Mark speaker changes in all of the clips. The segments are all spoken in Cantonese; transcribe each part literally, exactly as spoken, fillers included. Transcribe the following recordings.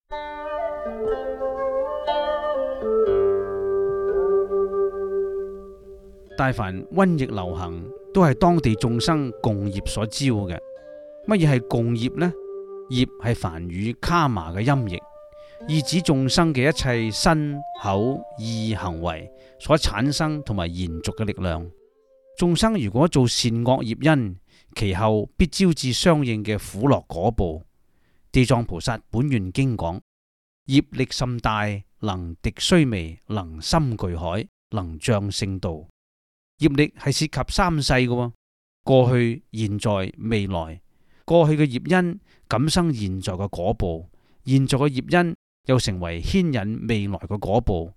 Speaker 1: 大凡瘟疫流行，都係當地眾生共業所招嘅。乜嘢係共業呢？業係梵語卡瑪嘅音譯，意指眾生嘅一切身口意行為所產生同埋延續嘅力量。眾生如果做善惡業因，其後必招致相應嘅苦樂果報。地藏菩薩本願經講：業力甚大，能敵須彌，能深巨海，能障聖道。業力係涉及三世嘅，過去、現在、未來。過去嘅業因感生現在嘅果報，現在嘅業因又成為牽引未來嘅果報，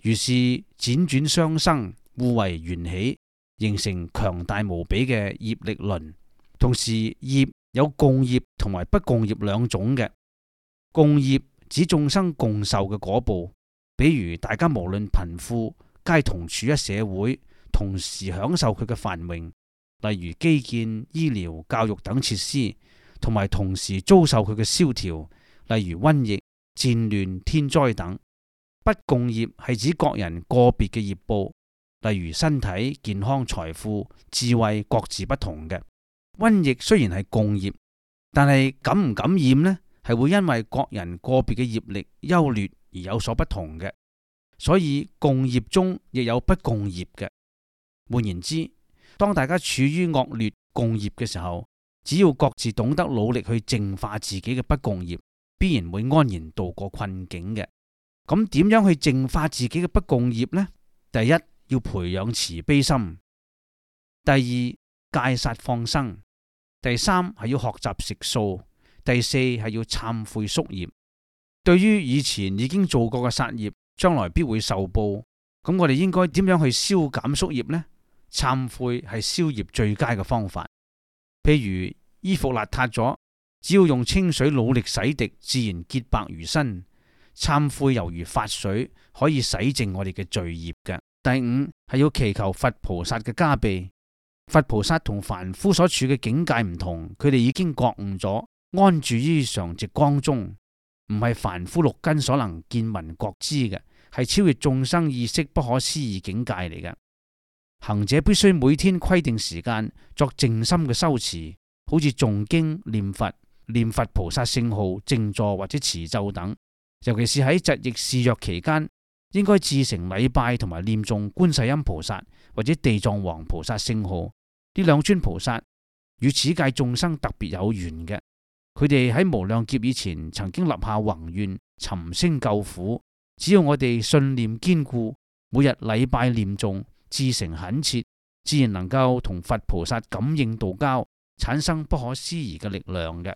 Speaker 1: 於是輾轉相生，互為緣起，形成強大無比嘅業力輪。同時，業有共業同埋不共業兩種嘅。共業指眾生共受嘅果報，比如大家無論貧富，皆同處一社會，同時享受佢嘅繁榮，例如基建、醫療、教育等設施，同埋同時遭受佢嘅蕭條，例如瘟疫、戰亂、天災等。不共業係指各人個別嘅業報，例如身體健康、財富、智慧各自不同嘅。瘟疫雖然係共業，但係感唔感染呢？係會因為各人個別嘅業力優劣而有所不同嘅。所以共業中亦有不共業嘅。換言之，當大家處於惡劣共業嘅時候，只要各自懂得努力去淨化自己嘅不共業，必然會安然度過困境嘅。咁點樣去淨化自己嘅不共業呢？第一，要培養慈悲心；第二，戒殺放生；第三，係要學習食素；第四，係要懺悔宿業。對於以前已經做過嘅殺業，將來必會受報。咁我哋應該點樣去消減宿業呢？懺悔係消業最佳嘅方法。譬如衣服邋遢咗，只要用清水努力洗滌，自然潔白如新。懺悔猶如發水，可以洗淨我哋嘅罪業嘅。第五，係要祈求佛菩薩嘅加被。佛菩薩同凡夫所處嘅境界唔同，佢哋已經覺悟咗，安住於常寂光中，唔係凡夫六根所能見聞覺知嘅，係超越眾生意識不可思議境界嚟嘅。行者必須每天規定時間作靜心嘅修持，好似誦經、念佛、念佛菩薩聖號、靜坐或者持咒等。尤其是喺疾疫肆虐期間，應該至誠禮拜同埋念誦觀世音菩薩或者地藏王菩薩聖號。呢兩尊菩薩與此界眾生特別有緣嘅，佢哋喺無量劫以前曾經立下宏願，尋聲救苦。只要我哋信念堅固，每日禮拜念誦，至誠懇切，自然能夠同佛菩薩感應道交，產生不可思議嘅力量嘅。